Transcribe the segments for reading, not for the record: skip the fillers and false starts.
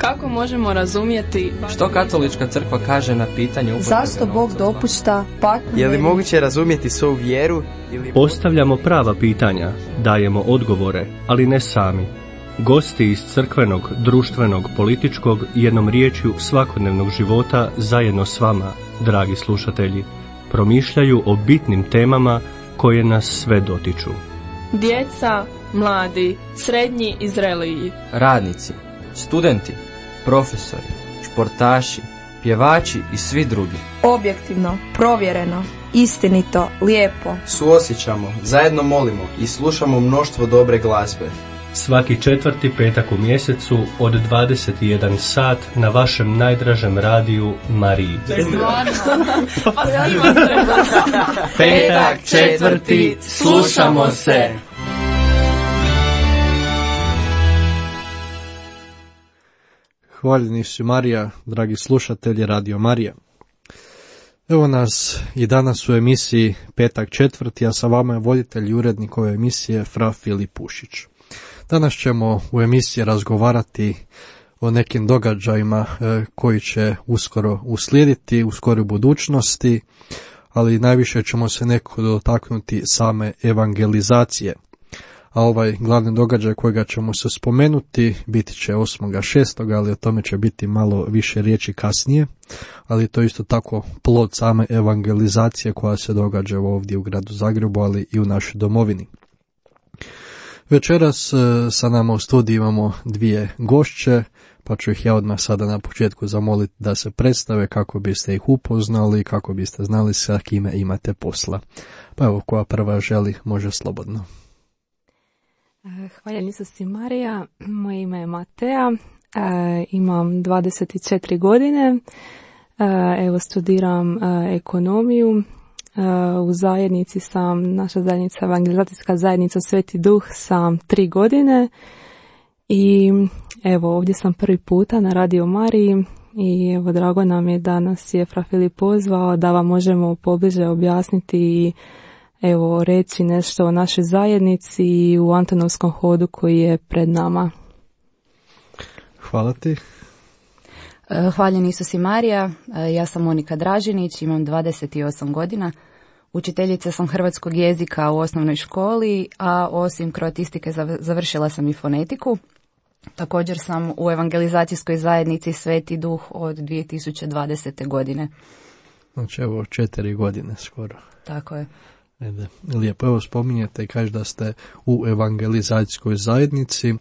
Kako možemo razumjeti što katolička crkva kaže na pitanje zašto Bog dopušta patnju? Je li moguće razumjeti svoju vjeru? Postavljamo prava pitanja, dajemo odgovore, ali ne sami. Gosti iz crkvenog, društvenog, političkog, jednom riječju svakodnevnog života zajedno s vama, dragi slušatelji, promišljaju o bitnim temama koje nas sve dotiču. djeca, mladi, srednji i zreliji, radnici, studenti, profesori, športaši, pjevači i svi drugi. Objektivno, provjereno, istinito, lijepo. Suosjećamo, zajedno molimo i slušamo mnoštvo dobre glazbe. Svaki 4. petak u mjesecu od 21 sat na vašem najdražem radiju Mariji. Petak 4. slušamo se. Hvaljeni si Marija, dragi slušatelji Radio Marija. Evo nas i danas u emisiji Petak 4. a sa vama je voditelj i urednik ove emisije Fra Filip Pušić. Danas ćemo u emisiji razgovarati o nekim događajima koji će uskoro uslijediti u skoroj budućnosti, ali najviše ćemo se nekako dotaknuti same evangelizacije. A ovaj glavni događaj kojega ćemo se spomenuti biti će 8.6., ali o tome će biti malo više riječi kasnije, ali to je isto tako plod same evangelizacije koja se događa ovdje u gradu Zagrebu, ali i u našoj domovini. Večeras sa nama u studiju imamo dvije gošće, pa ću ih ja odmah sada na početku zamoliti da se predstave kako biste ih upoznali i kako biste znali sa kime imate posla. Pa evo, koja prva želi, može slobodno. Hvala Isusi Marija, moje ime je Matea, imam 24 godine, evo studiram ekonomiju, u zajednici sam, naša zajednica, evangelizacijska zajednica Sveti Duh, sam 3 godine i evo ovdje sam prvi puta na Radio Mariji i evo drago nam je da nas je Fra Filip pozvao da vam možemo pobliže objasniti i evo reći nešto o našoj zajednici i u Antonovskom hodu koji je pred nama. Hvala ti. Hvaljen Isus i Marija, ja sam Monika Dražinić, imam 28 godina, učiteljica sam hrvatskog jezika u osnovnoj školi, a osim kroatistike završila sam i fonetiku. Također sam u evangelizacijskoj zajednici Sveti Duh od 2020. godine. Znači evo 4 godine skoro. Tako je. Lijepo, evo spominjete i kaže da ste u evangelizacijskoj zajednici,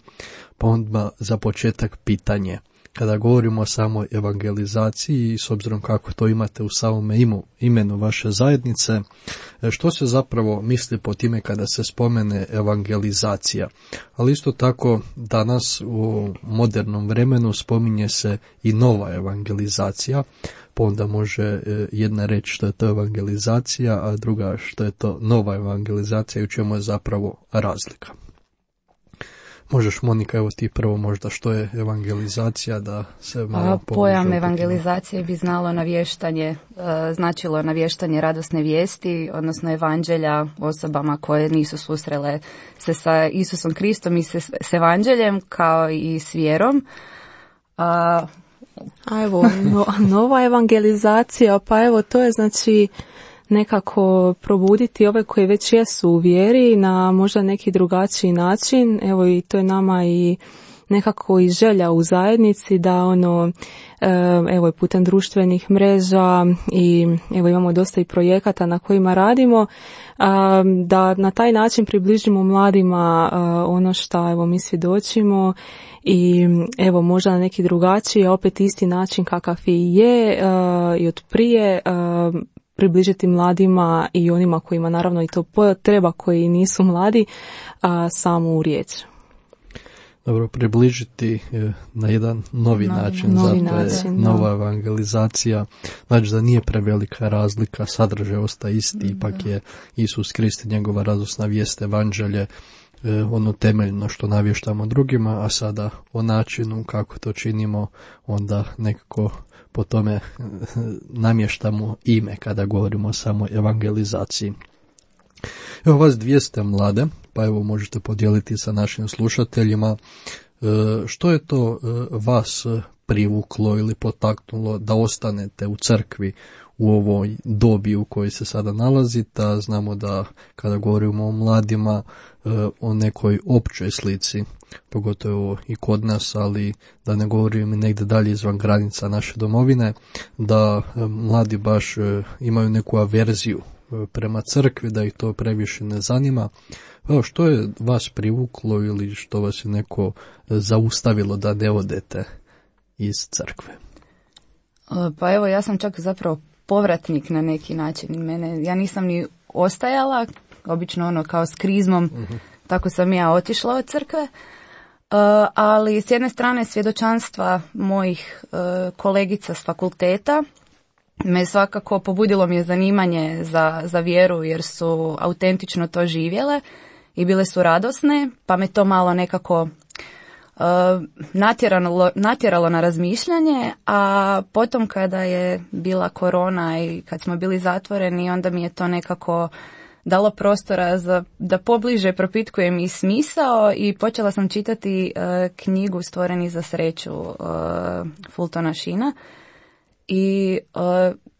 pa onda za početak pitanje. Kada govorimo o samoj evangelizaciji i s obzirom kako to imate u samome imenu vaše zajednice, što se zapravo misli po time kada se spomene evangelizacija? Ali isto tako danas u modernom vremenu spominje se i nova evangelizacija, pa onda može jedna reći što je to evangelizacija, a druga što je to nova evangelizacija i u čemu je zapravo razlika. Možeš, Monika, evo ti prvo možda što je evangelizacija, da se malo pojam evangelizacije bi značilo navještanje radosne vijesti, odnosno evanđelja osobama koje nisu susrele se sa Isusom Kristom i s evanđeljem kao i s vjerom. A evo, nova evangelizacija, pa evo to je znači nekako probuditi ove koji već jesu u vjeri na možda neki drugačiji način. Evo i to je nama i nekako i želja u zajednici da evo i putem društvenih mreža i evo imamo dosta i projekata na kojima radimo, da na taj način približimo mladima ono što evo mi svjedočimo i evo možda na neki drugačiji, a opet isti način kakav i je i od prije, približiti mladima i onima kojima naravno i to treba, koji nisu mladi, samu riječ. Dobro, približiti na jedan novi način, nova evangelizacija, znači da nije prevelika razlika, sadržaj ostaje isti, ipak je Isus Krist i njegova radosna vijest, evanđelje, ono temeljno što navještamo drugima, a sada o načinu kako to činimo, onda nekako po tome namještamo ime kada govorimo o samoj evangelizaciji. Evo vas dvije ste mlade, pa evo možete podijeliti sa našim slušateljima što je to vas privuklo ili potaknulo da ostanete u crkvi u ovoj dobi u kojoj se sada nalazite, a znamo da kada govorimo o mladima, o nekoj općoj slici, pogotovo i kod nas, ali da ne govorim i negdje dalje izvan granica naše domovine, da mladi baš imaju neku averziju prema crkvi, da ih to previše ne zanima. Evo, što je vas privuklo ili što vas je neko zaustavilo da ne odete iz crkve? Pa evo, ja sam čak zapravo povratnik na neki način. Ja nisam ni ostajala, obično kao s krizmom, tako sam ja otišla od crkve. Ali s jedne strane svjedočanstva mojih kolegica s fakulteta me svakako pobudilo mi je zanimanje za vjeru, jer su autentično to živjele i bile su radosne, pa me to malo nekako natjeralo na razmišljanje, a potom kada je bila korona i kad smo bili zatvoreni, onda mi je to nekako dalo prostora da pobliže propitkujem i smisao, i počela sam čitati knjigu Stvoreni za sreću Fultona Sheena i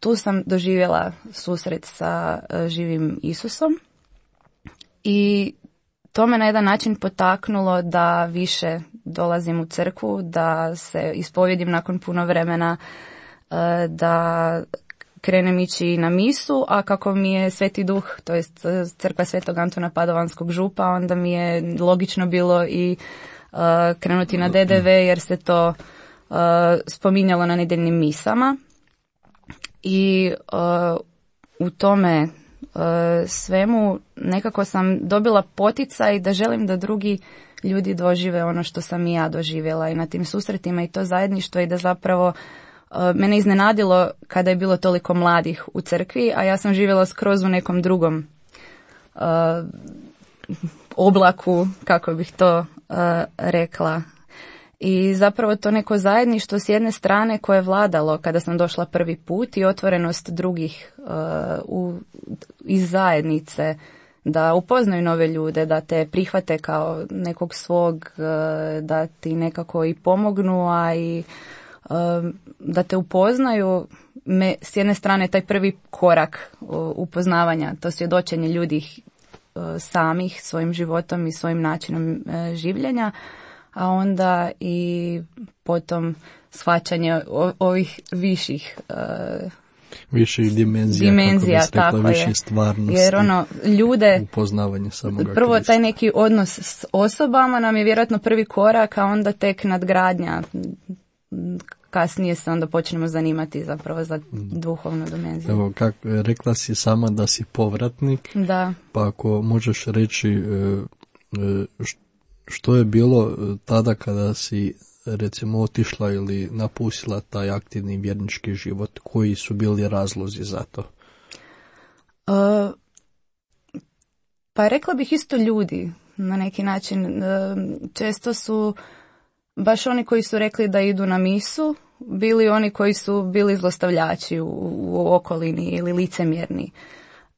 tu sam doživjela susret sa živim Isusom i to me na jedan način potaknulo da više dolazim u crkvu, da se ispovjedim nakon puno vremena, da krenem ići na misu, a kako mi je Sveti Duh, to jest crkva Svetog Antuna Padovanskog župa, onda mi je logično bilo i krenuti na DDV, jer se to spominjalo na nedjeljnim misama. I u tome svemu nekako sam dobila poticaj da želim da drugi ljudi dožive ono što sam i ja doživjela i na tim susretima i to zajedništvo, i da zapravo mene iznenadilo kada je bilo toliko mladih u crkvi, a ja sam živjela skroz u nekom drugom oblaku, kako bih to rekla. I zapravo to neko zajedništvo s jedne strane koje je vladalo kada sam došla prvi put i otvorenost drugih iz zajednice, da upoznaju nove ljude, da te prihvate kao nekog svog, da ti nekako i pomognu, a i da te upoznaju. S jedne strane taj prvi korak upoznavanja, to svjedočenje ljudi samih svojim životom i svojim načinom življenja, a onda i potom shvaćanje ovih viših dimenzija, tako rekla, više stvarnosti, jer ljude, upoznavanje samoga prvo Krista. Taj neki odnos s osobama nam je vjerojatno prvi korak, a onda tek nadgradnja. Kasnije se onda počnemo zanimati zapravo za duhovnu dimenziju. Evo, rekla si sama da si povratnik, da. Pa ako možeš reći što je bilo tada kada si recimo otišla ili napustila taj aktivni vjernički život, koji su bili razlozi za to? Pa rekla bih isto ljudi na neki način. Često su baš oni koji su rekli da idu na misu bili oni koji su bili zlostavljači u okolini ili licemjerni.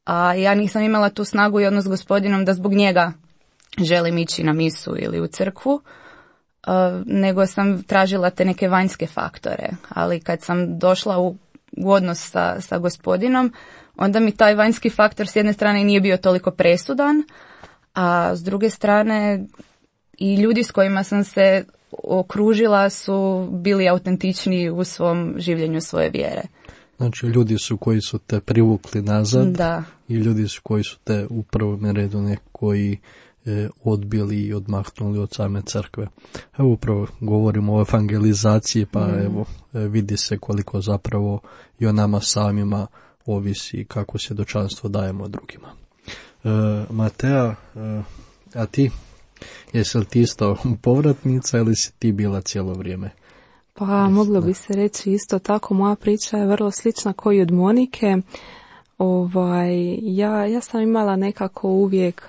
A ja nisam imala tu snagu i odnos s Gospodinom da zbog njega želim ići na misu ili u crkvu, nego sam tražila te neke vanjske faktore. Ali kad sam došla u odnos sa Gospodinom, onda mi taj vanjski faktor s jedne strane nije bio toliko presudan, a s druge strane i ljudi s kojima sam se okružila su bili autentični u svom življenju svoje vjere. Znači ljudi su koji su te privukli nazad, da, i ljudi su koji su te u prvom redu koji odbili i odmahnuli od same crkve. Evo upravo govorimo o evangelizaciji, pa evo vidi se koliko zapravo i o nama samima ovisi kako svjedočanstvo dajemo drugima. Matea, a ti? Jesi li ti isto povratnica ili si ti bila cijelo vrijeme? Pa moglo bi se reći isto tako, moja priča je vrlo slična kao i od Monike. Ja sam imala nekako uvijek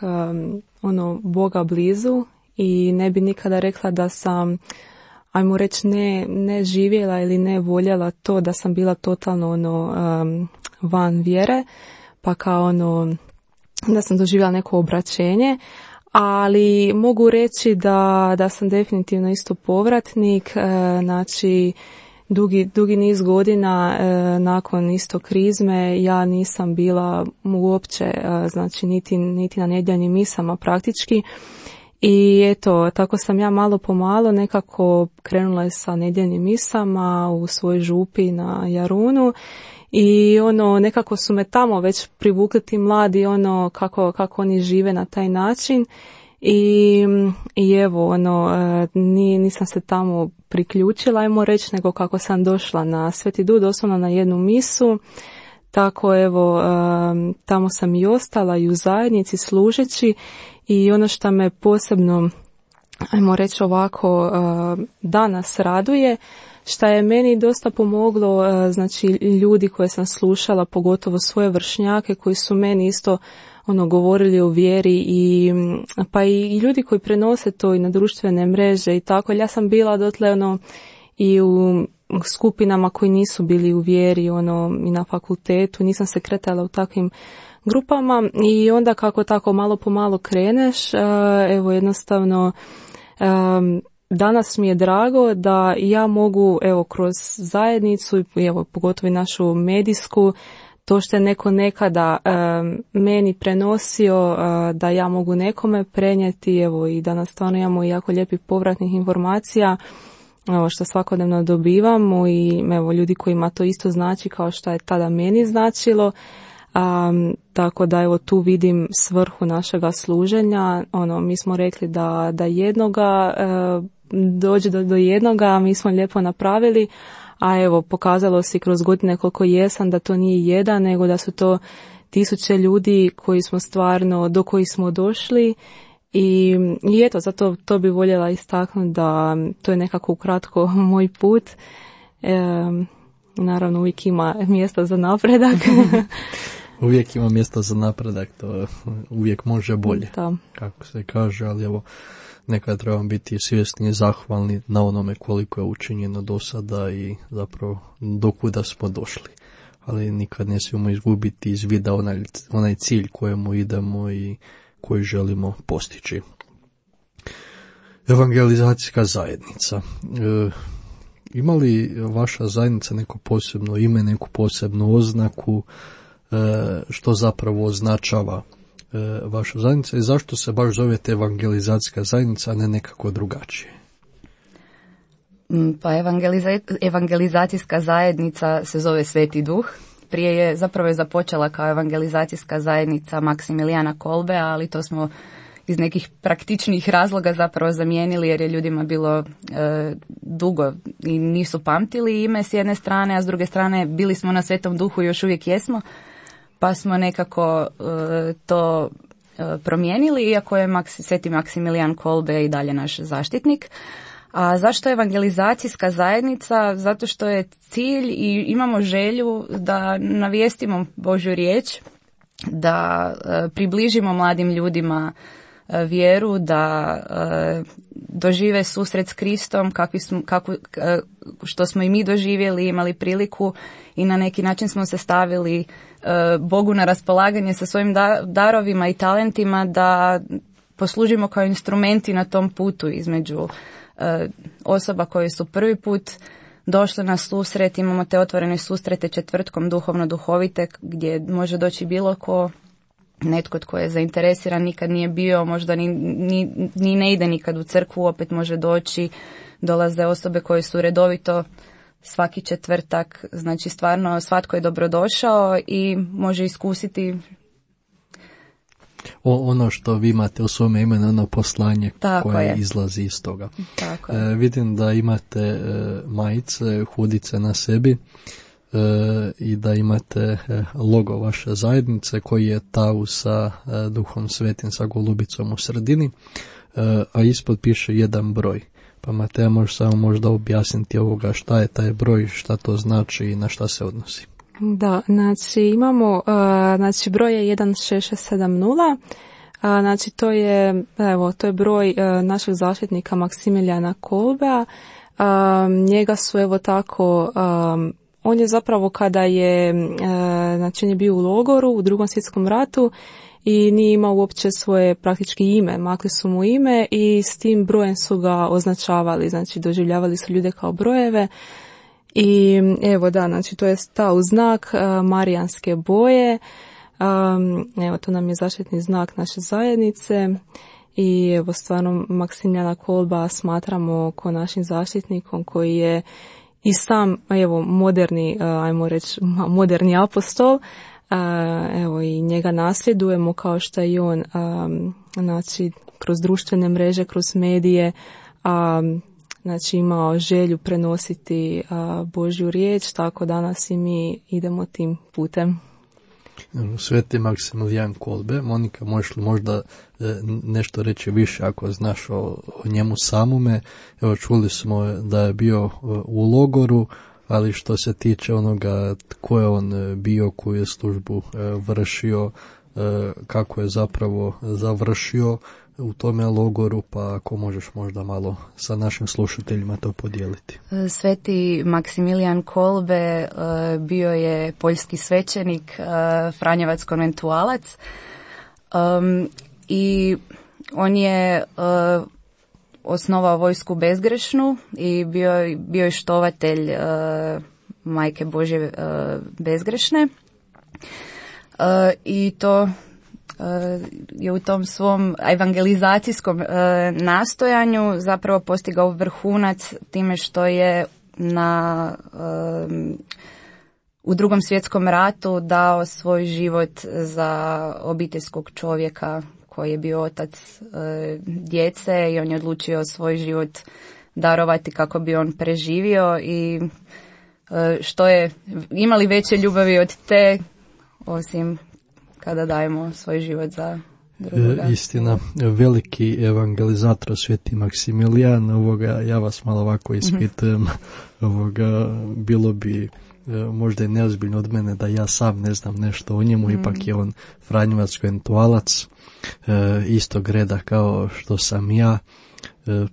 Boga blizu i ne bi nikada rekla da sam, ajmo reći, ne živjela ili ne voljela to, da sam bila totalno van vjere, pa kao da sam doživjela neko obraćenje, ali mogu reći da sam definitivno isto povratnik, znači dugi niz godina nakon isto krizme ja nisam bila uopće, znači niti na nedjeljnim misama praktički. I eto, tako sam ja malo po malo nekako krenula sa nedjeljnim misama u svojoj župi na Jarunu i nekako su me tamo već privukli ti mladi, kako oni žive na taj način i evo, nisam se tamo priključila, ajmo reći, nego kako sam došla na Sveti Dud, doslovno na jednu misu. Tako evo, tamo sam i ostala i u zajednici služeći i ono što me posebno, ajmo reći ovako, danas raduje, što je meni dosta pomoglo, znači ljudi koje sam slušala, pogotovo svoje vršnjake koji su meni isto govorili o vjeri pa i ljudi koji prenose to i na društvene mreže i tako. Ja sam bila dotle i u skupinama koji nisu bili u vjeri i na fakultetu, nisam se kretala u takvim grupama i onda kako tako malo po malo kreneš, evo jednostavno danas mi je drago da ja mogu evo kroz zajednicu i evo pogotovo i našu medijsku, to što je neko nekada meni prenosio, da ja mogu nekome prenijeti, evo i danas stvarno imamo jako lijepih povratnih informacija što svakodnevno dobivamo i evo ljudi kojima to isto znači kao što je tada meni značilo. Tako da evo tu vidim svrhu našega služenja. Mi smo rekli da jednoga dođe do jednoga, mi smo lijepo napravili, a evo pokazalo se kroz godine koliko jesam da to nije jedan, nego da su to tisuće ljudi koji smo stvarno, do kojih smo došli i eto, zato to bi voljela istaknuti da to je nekako ukratko moj put. Naravno uvijek ima mjesta za napredak. Uvijek ima mjesta za napredak, to uvijek može bolje, da. Kako se kaže, ali evo, nekad trebamo biti svjesni i zahvalni na onome koliko je učinjeno do sada i zapravo dokuda smo došli. Ali nikad ne smijemo izgubiti iz vida onaj cilj kojemu idemo i koji želimo postići. Evangelizacijska zajednica. Ima li vaša zajednica neko posebno ime, neku posebnu oznaku, što zapravo označava vaša zajednica i zašto se baš zovete evangelizacijska zajednica, a ne nekako drugačije? Pa evangelizacijska zajednica se zove Sveti Duh. Prije je zapravo započela kao evangelizacijska zajednica Maksimilijana Kolbe, ali to smo iz nekih praktičnih razloga zapravo zamijenili jer je ljudima bilo dugo i nisu pamtili ime s jedne strane, a s druge strane bili smo na Svetom Duhu i još uvijek jesmo, pa smo nekako to promijenili, iako je Sveti Maksimilijan Kolbe i dalje naš zaštitnik. A zašto je evangelizacijska zajednica? Zato što je cilj i imamo želju da navijestimo Božju riječ, da približimo mladim ljudima vjeru, da dožive susret s Kristom što smo i mi doživjeli, imali priliku i na neki način smo se stavili Bogu na raspolaganje sa svojim darovima i talentima da poslužimo kao instrumenti na tom putu između osoba koje su prvi put došle na susret. Imamo te otvorene susrete četvrtkom duhovno-duhovite gdje može doći bilo ko, netko tko je zainteresiran, nikad nije bio, možda ni ne ide nikad u crkvu, opet može doći. Dolaze osobe koje su redovito svaki četvrtak, znači stvarno svatko je dobrodošao i može iskusiti ono što vi imate u svome imenu, ono poslanje koje izlazi iz toga. Vidim da imate majice, hudice na sebi i da imate logo vaše zajednice koji je tau sa Duhom Svetim, sa golubicom u sredini, a ispod piše 1 broj. Pa Mateja, možeš samo možda objasniti ovoga šta je taj broj, šta to znači i na šta se odnosi. Da, znači imamo, broj je 16670, znači to je broj našeg zaštitnika Maksimilijana Kolbea. Njega su tako On je zapravo kada je, znači on je bio u logoru u Drugom svjetskom ratu i nije imao uopće svoje praktički ime, makli su mu ime i s tim brojem su ga označavali, znači doživljavali su ljude kao brojeve. I evo da, znači to je stao znak marijanske boje, evo to nam je zaštitni znak naše zajednice i evo stvarno Maksimilijana Kolba smatramo ko našim zaštitnikom koji je i sam evo moderni, ajmo reći moderni apostol, evo i njega nasljedujemo kao što je i on, znači kroz društvene mreže, kroz medije, znači imao želju prenositi Božju riječ, tako danas i mi idemo tim putem. Sveti Maksimilijan Kolbe. Monika, možeš li možda nešto reći više ako znaš o njemu samome? Evo, čuli smo da je bio u logoru, ali što se tiče onoga tko je on bio, koju je službu vršio, kako je zapravo završio u tome logoru, pa ako možeš možda malo sa našim slušateljima to podijeliti. Sveti Maksimilijan Kolbe bio je poljski svećenik, franjevac konventualac, i on je osnovao vojsku bezgrešnu i bio je štovatelj Majke Božje bezgrešne, i to je u tom svom evangelizacijskom nastojanju zapravo postigao vrhunac time što je u Drugom svjetskom ratu dao svoj život za obiteljskog čovjeka koji je bio otac djece i on je odlučio svoj život darovati kako bi on preživio i što je imali veće ljubavi od te osim kada dajemo svoj život za drugoga. Istina, veliki evangelizator Sveti Maksimilijan, ja vas malo ovako ispitujem, bilo bi možda je neozbiljno od mene da ja sam ne znam nešto o njemu, ipak je on franjevac konventualac, istog reda kao što sam ja,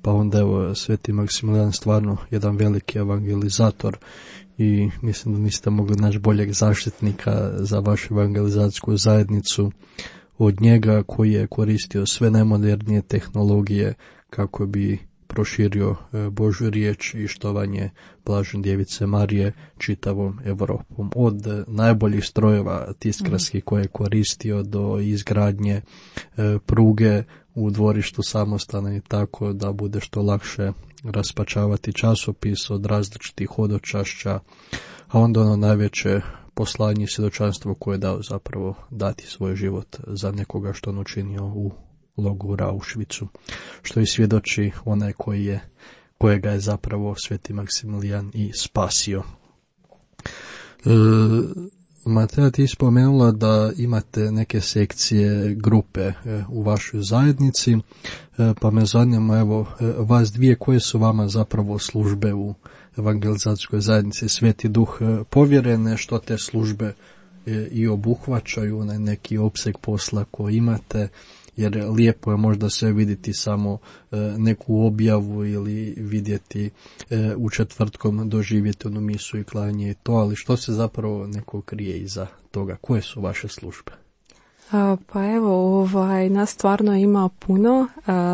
pa onda evo Sveti Maksimilijan stvarno jedan veliki evangelizator i mislim da niste mogli naći boljeg zaštitnika za vašu evangelizacijsku zajednicu od njega, koji je koristio sve najmodernije tehnologije kako bi proširio Božju riječ i štovanje blažene djevice Marije čitavom Europom. Od najboljih strojeva tiskarskih koje je koristio do izgradnje pruge u dvorištu samostana i tako da bude što lakše raspačavati časopis od različitih hodočašća, a onda ono najveće poslanje i svjedočanstvo koje je dao zapravo dati svoj život za nekoga što on učinio u logoru Auschwitzu, što i svjedoči onaj kojega je zapravo Sveti Maksimilijan i spasio. Mateja, ti spomenula da imate neke sekcije, grupe u vašoj zajednici, pa me zanima, evo, vas dvije, koje su vama zapravo službe u evangelizacijskoj zajednici Sveti Duh povjerene, što te službe i obuhvaćaju, onaj neki opseg posla koji imate, jer lijepo je možda sve vidjeti samo neku objavu ili vidjeti u četvrtkom doživjeti onu misu i klanje i to, ali što se zapravo neko krije iza toga? Koje su vaše službe? Pa evo, nas stvarno ima puno,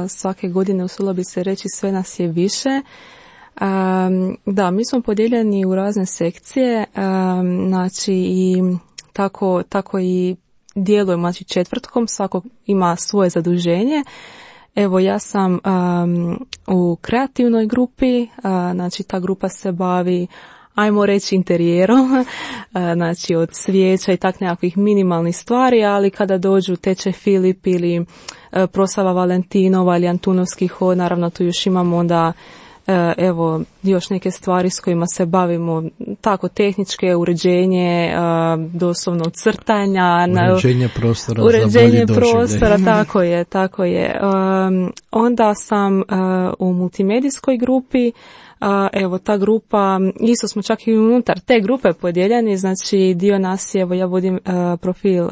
svake godine usudila bi se reći sve nas je više. Da, mi smo podijeljeni u razne sekcije, znači i tako i djelujemo, znači četvrtkom, svako ima svoje zaduženje. Evo, ja sam u kreativnoj grupi, znači ta grupa se bavi, ajmo reći, interijerom, znači od svijeća i tak nekakvih minimalnih stvari, ali kada dođu teče Filip ili proslava Valentinova ili Antunovski hod, naravno tu još imamo onda evo još neke stvari s kojima se bavimo, tako tehničke, uređenje, doslovno crtanja, uređenje prostora, tako je. Onda sam u multimedijskoj grupi, evo ta grupa, isto smo čak i unutar te grupe podijeljeni, znači dio nas je, evo ja vodim profil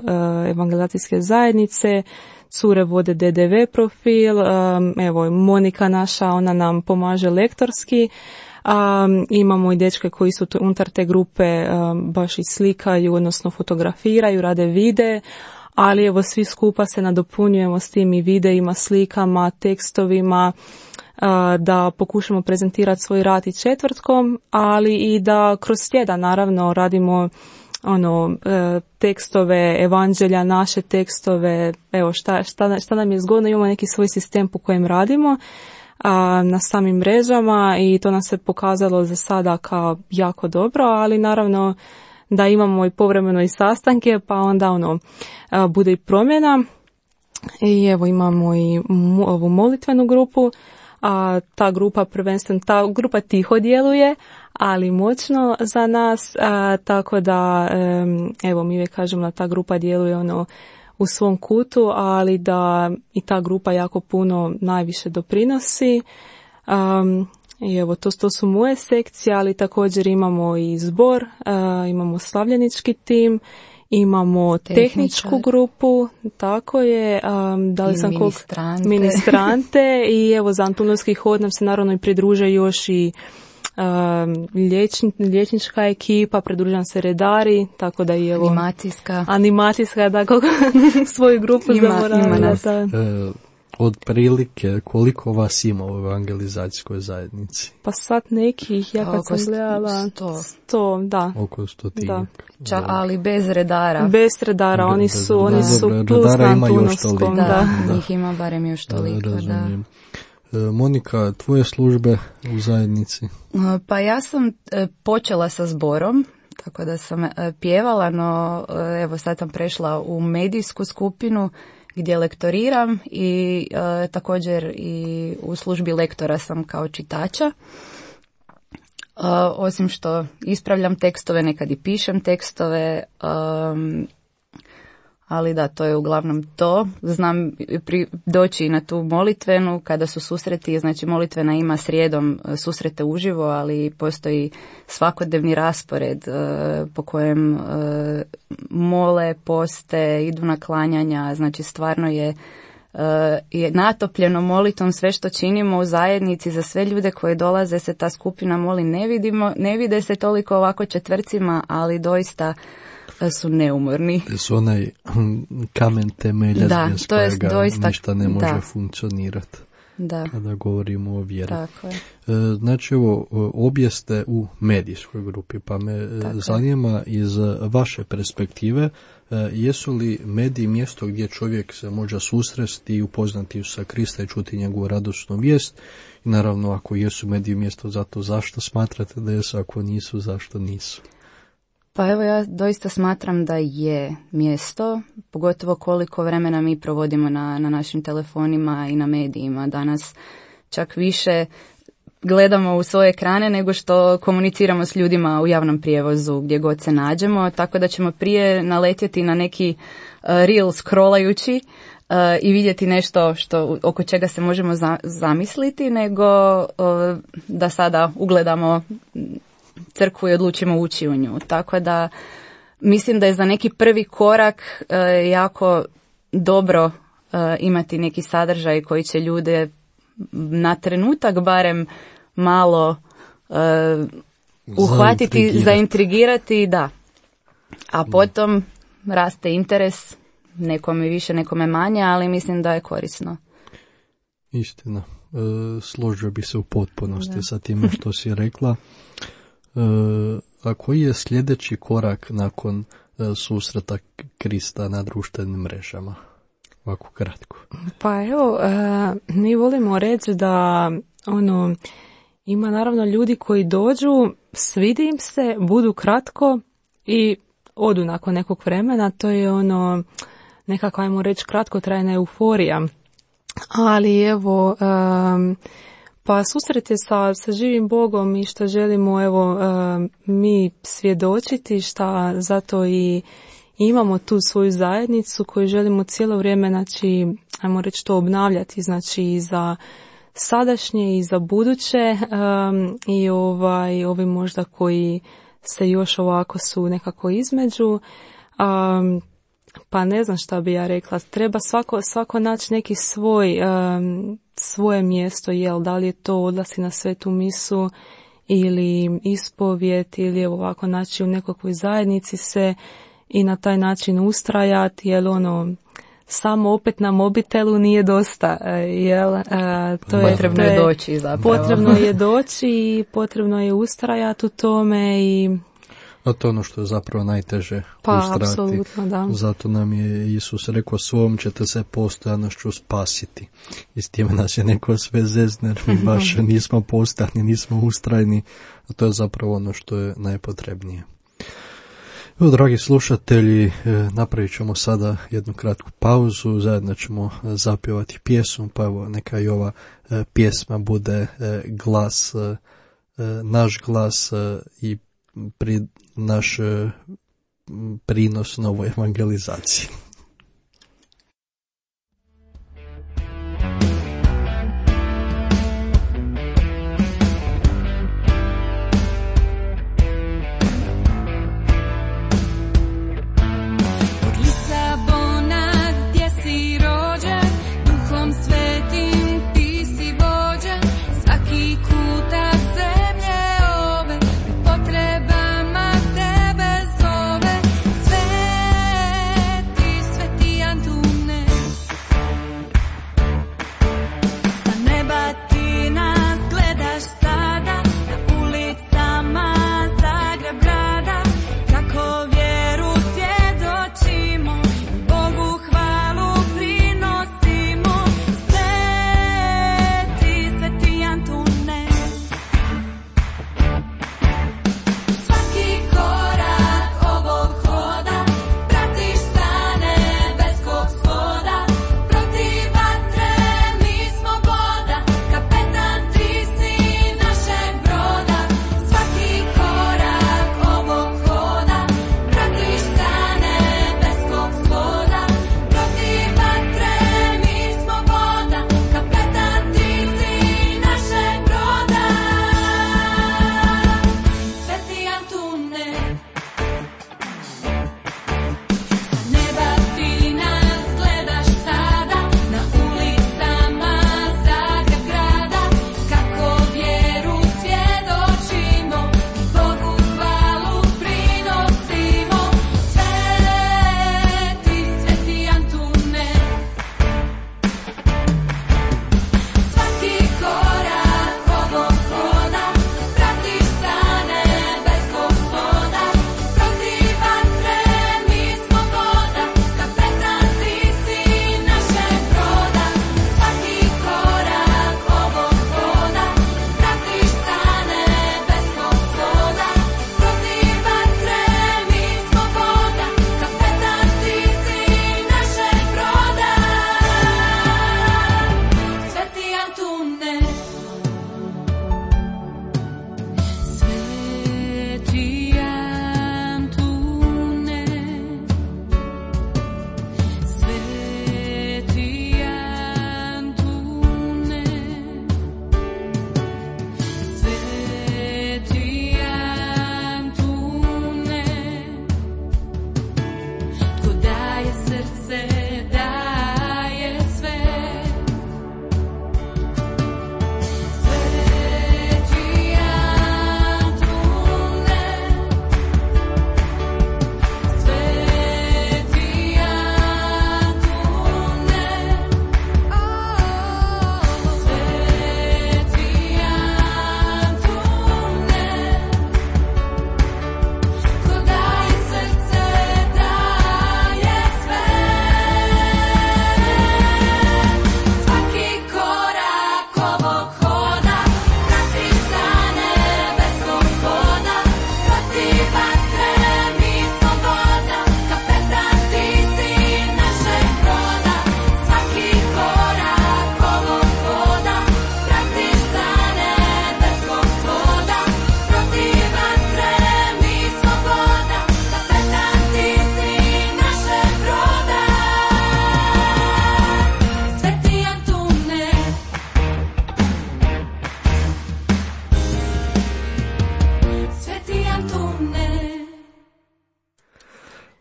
evangelizacijske zajednice, cure vode DDV profil, evo Monika naša, ona nam pomaže lektorski, Imamo i dečke koji su unutar te grupe baš i slikaju, odnosno fotografiraju, rade vide, ali evo svi skupa se nadopunjujemo s tim i videima, slikama, tekstovima, da pokušamo prezentirati svoj rad i četvrtkom, ali i da kroz tjedan naravno radimo tekstove, evanđelja, naše tekstove, evo šta nam je zgodno, imamo neki svoj sistem po kojem radimo na samim mrežama i to nam se pokazalo za sada kao jako dobro, ali naravno da imamo i povremeno i sastanke, pa onda bude i promjena. I evo imamo i ovu molitvenu grupu, ta grupa tiho djeluje, ali moćno za nas, tako da evo mi uvijek kažemo da ta grupa djeluje u svom kutu, ali da i ta grupa jako puno najviše doprinosi. I evo to su moje sekcije, ali također imamo i zbor, imamo slavljenički tim, imamo tehničku grupu, tako je, dali sam ministrante i evo za Antunovski hod nam se naravno i pridruže još i liječnička ekipa, pridružujem se redari, tako da i evo animacijska da svoju grupu ima nas. Od prilike koliko vas ima u evangelizacijskoj zajednici? Pa sad nekih, ja kad sam gledala 100, da. Oko 100. Da. Ali bez redara. Bez redara, oni su plus na Antunovskom. Da, njih ima barem još toliko. Razumijem. Monika, tvoje službe u zajednici? Pa ja sam počela sa zborom, tako da sam pjevala, no evo sad sam prešla u medijsku skupinu gdje lektoriram i također i u službi lektora sam kao čitača. Osim što ispravljam tekstove, nekad i pišem tekstove, ali da, to je uglavnom to. Znam doći na tu molitvenu kada su susreti, znači molitvena ima srijedom susrete uživo, ali postoji svakodnevni raspored po kojem mole, poste, idu na klanjanja, znači stvarno je natopljeno molitvom sve što činimo u zajednici. Za sve ljude koji dolaze se ta skupina moli, ne vide se toliko ovako četvrcima, ali doista su neumorni. Su onaj kamen temelja bez kojega ništa ne može funkcionirati. Kada govorimo o vjeri. Znači, obje ste u medijskoj grupi, pa me zanima iz vaše perspektive, jesu li mediji mjesto gdje čovjek se može susresti i upoznati sa Krista i čuti njegovu radosnu vijest? I naravno, ako jesu mediji mjesto za to, zašto smatrate da jesu, ako nisu, zašto nisu? Pa evo, ja doista smatram da je mjesto, pogotovo koliko vremena mi provodimo na našim telefonima i na medijima. Danas čak više gledamo u svoje ekrane nego što komuniciramo s ljudima u javnom prijevozu gdje god se nađemo, tako da ćemo prije naletjeti na neki reel scrollajući i vidjeti nešto oko čega se možemo zamisliti, nego da sada ugledamo crkvu i odlučimo ući u nju. Tako da mislim da je za neki prvi korak jako dobro imati neki sadržaj koji će ljude na trenutak barem malo uhvatiti, zaintrigirati, da. A potom raste interes, nekome više, nekome manje, ali mislim da je korisno. Istina. Složio bi se u potpunosti sa time što si rekla. A koji je sljedeći korak nakon susreta Krista na društvenim mrežama? Ovako kratko. Pa evo, mi volimo reći da ima naravno ljudi koji dođu, svidi im se, budu kratko i odu nakon nekog vremena. To je nekako, ajmo reći, kratkotrajna euforija. Ali evo, pa susret je sa živim Bogom i što želimo mi svjedočiti, šta zato i imamo tu svoju zajednicu koju želimo cijelo vrijeme, znači, ajmo reći, to obnavljati, znači i za sadašnje i za buduće i ovi možda koji se još ovako su nekako između. Pa ne znam šta bi ja rekla, treba svako naći neki svoje mjesto, da li je to odlasci na svetu misu ili ispovijed ili ovako naći u nekakvoj zajednici se i na taj način ustrajati, jer samo opet na mobitelu nije dosta, jel? Potrebno je doći zapravo. Potrebno je doći i potrebno je ustrajati u tome i... A to je ono što je zapravo najteže ustrajati. Apsolutno, da. Zato nam je Isus rekao, svom ćete se postojanošću spasiti. I s time nas je neko sve zezne, mi baš nismo postojani, nismo ustrajni, a to je zapravo ono što je najpotrebnije. Evo, dragi slušatelji, napravit ćemo sada jednu kratku pauzu, zajedno ćemo zapjevati pjesmu, pa evo neka i ova pjesma bude glas, naš glas i naš prinos novoj evangelizaciji.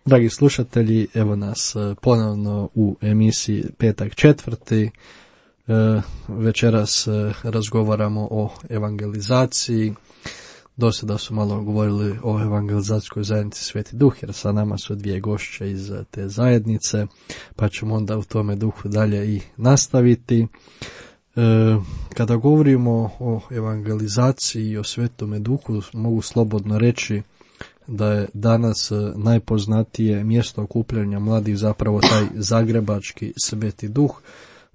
Dragi slušatelji, evo nas ponovno u emisiji Petak četvrti. Večeras razgovaramo o evangelizaciji Dosada su malo govorili o evangelizacijskoj zajednici Sveti Duh, jer sa nama su dvije gošće iz te zajednice, pa ćemo onda u tome duhu dalje i nastaviti. Kada govorimo o evangelizaciji i o Svetome Duhu, mogu slobodno reći da je danas najpoznatije mjesto okupljanja mladih zapravo taj zagrebački Sveti Duh.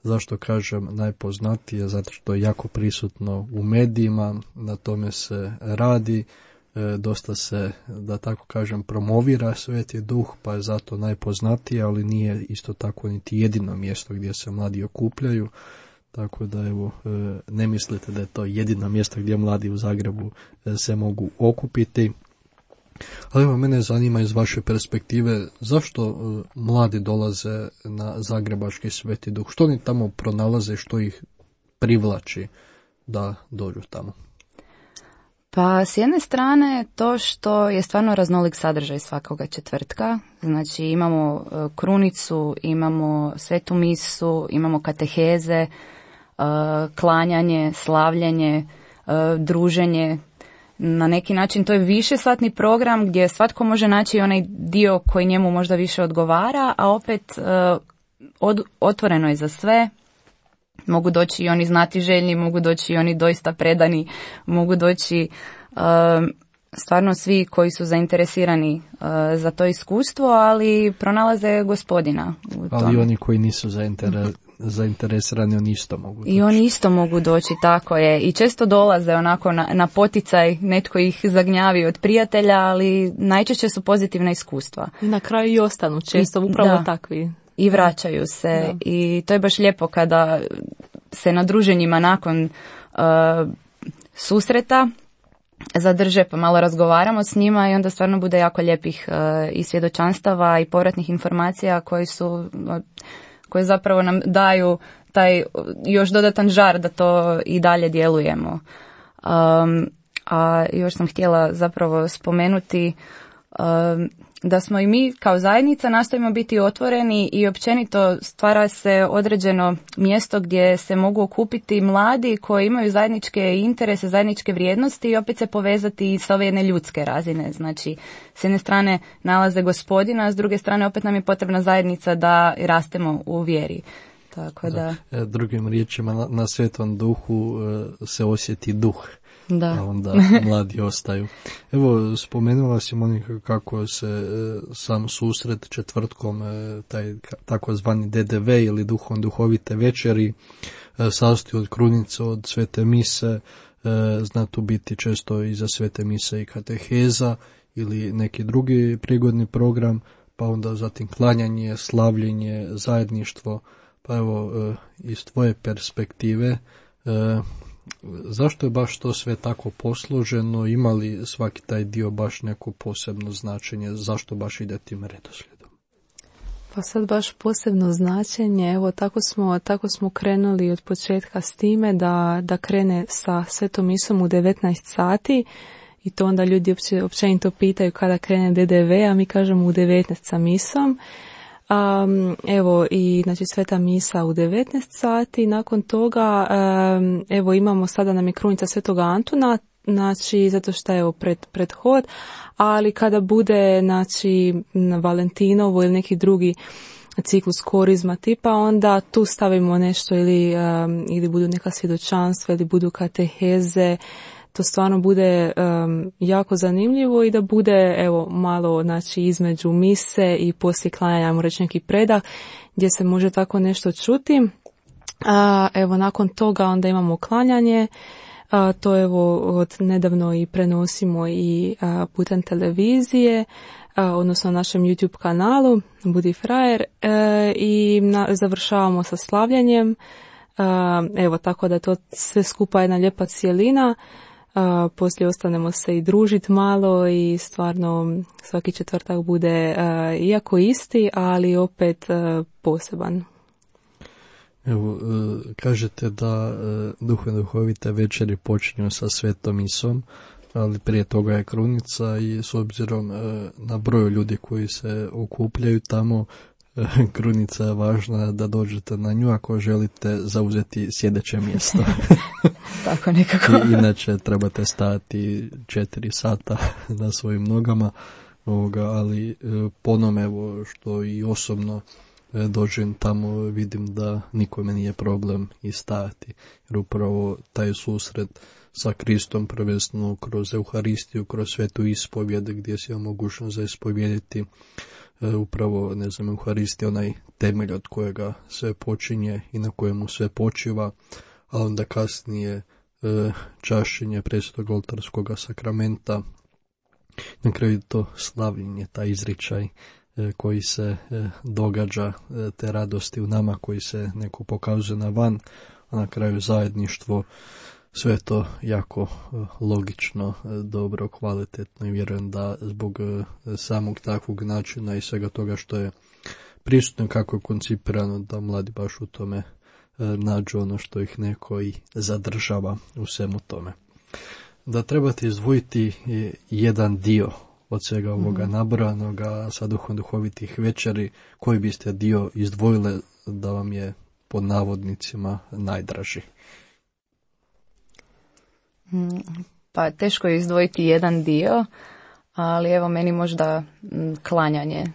Zašto kažem najpoznatije? Zato što je jako prisutno u medijima, na tome se radi, dosta se, da tako kažem, promovira Sveti Duh, pa je zato najpoznatije, ali nije isto tako niti jedino mjesto gdje se mladi okupljaju. Tako da evo, ne mislite da je to jedino mjesto gdje mladi u Zagrebu se mogu okupiti. Ali evo, mene zanima iz vaše perspektive, zašto mladi dolaze na Zagrebački Sveti Duh? Što oni tamo pronalaze, što ih privlači da dođu tamo? Pa s jedne strane to što je stvarno raznolik sadržaj svakoga četvrtka. Znači imamo krunicu, imamo svetu misu, imamo kateheze, klanjanje, slavljenje, druženje. Na neki način to je višesatni program gdje svatko može naći onaj dio koji njemu možda više odgovara, a opet otvoreno je za sve. Mogu doći i oni znatiželjni, mogu doći i oni doista predani, mogu doći stvarno svi koji su zainteresirani za to iskustvo, ali pronalaze Gospodina u tome. Ali oni koji nisu zainteresirani, oni isto mogu doći. I oni isto mogu doći, tako je. I često dolaze onako na poticaj, netko ih zagnjavi od prijatelja, ali najčešće su pozitivna iskustva. I na kraju i ostanu često upravo takvi. I vraćaju se. I to je baš lijepo kada se na druženjima nakon susreta zadrže pa malo razgovaramo s njima i onda stvarno bude jako lijepih i svjedočanstava i povratnih informacija koje zapravo nam daju taj još dodatan žar da to i dalje djelujemo. A još sam htjela zapravo spomenuti da smo i mi kao zajednica nastojimo biti otvoreni i općenito stvara se određeno mjesto gdje se mogu okupiti mladi koji imaju zajedničke interese, zajedničke vrijednosti i opet se povezati sa ove jedne ljudske razine. Znači, s jedne strane nalaze Gospodina, a s druge strane opet nam je potrebna zajednica da rastemo u vjeri. Tako da. Drugim riječima, na Svetom Duhu se osjeti duh. Da. A onda mladi ostaju. Evo, spomenula si, Monika, kako se sam susret četvrtkom, taj takozvani DDV ili duhovite večeri, sastoji od krunice, od svete mise, zna tu biti često iza svete mise i kateheza ili neki drugi prigodni program, pa onda zatim klanjanje, slavljenje, zajedništvo. Pa evo, iz tvoje perspektive, zašto je baš to sve tako posloženo? Ima li svaki taj dio baš neko posebno značenje? Zašto baš ide tim redoslijedom? Pa sad baš posebno značenje. Evo, tako smo krenuli od početka s time da krene sa svetom misom u 19 sati i to onda ljudi općenito pitaju kada krene DDV, a mi kažemo u 19 sa misom. Evo i znači sveta misa u 19 sati, nakon toga evo imamo sada nam je krunica svetoga Antuna, znači zato što je evo pred hod, ali kada bude znači na Valentinovo ili neki drugi ciklus korizma tipa, onda tu stavimo nešto ili budu neka svjedočanstva ili budu kateheze. To stvarno bude jako zanimljivo i da bude evo malo znači između mise i poslije klanjanja, ajmo reći neki predah gdje se može tako nešto čuti. Evo nakon toga onda imamo klanjanje, to evo od nedavno i prenosimo i putem televizije, odnosno na našem YouTube kanalu Budi frajer, i završavamo sa slavljanjem. Evo tako da to sve skupa jedna lijepa cijelina. Poslije ostanemo se i družiti malo i stvarno svaki četvrtak bude iako isti, ali opet poseban. Evo, kažete da duhovite večeri počinju sa svetom misom, ali prije toga je krunica i s obzirom na broj ljudi koji se okupljaju tamo, krunica je važna da dođete na nju ako želite zauzeti sjedeće mjesto. Tako nekako. Inače trebate stajati 4 sata na svojim nogama, ali po onome evo što i osobno dođem tamo, vidim da nikome nije problem i stajati. Jer upravo taj susret sa Kristom, prvenstveno kroz Euharistiju, kroz svetu ispovjed, gdje si imao mogućnost za ispovjediti upravo, Euharistija, onaj temelj od kojega sve počinje i na kojemu sve počiva, a onda kasnije čašćenje Presvetog oltarskog sakramenta, na kraju to slavljenje, taj izričaj koji se događa, te radosti u nama koji se neko pokazuje na van, a na kraju zajedništvo, sve to jako logično, dobro, kvalitetno i vjerujem da zbog samog takvog načina i svega toga što je prisutno, kako je koncipirano, da mladi baš u tome nađu ono što ih neko i zadržava u svemu tome. Da trebate izdvojiti jedan dio od svega ovoga nabrojanoga sa duhom duhovitih večeri, koji biste dio izdvojile da vam je pod navodnicima najdraži? Pa teško je izdvojiti jedan dio, ali evo meni možda klanjanje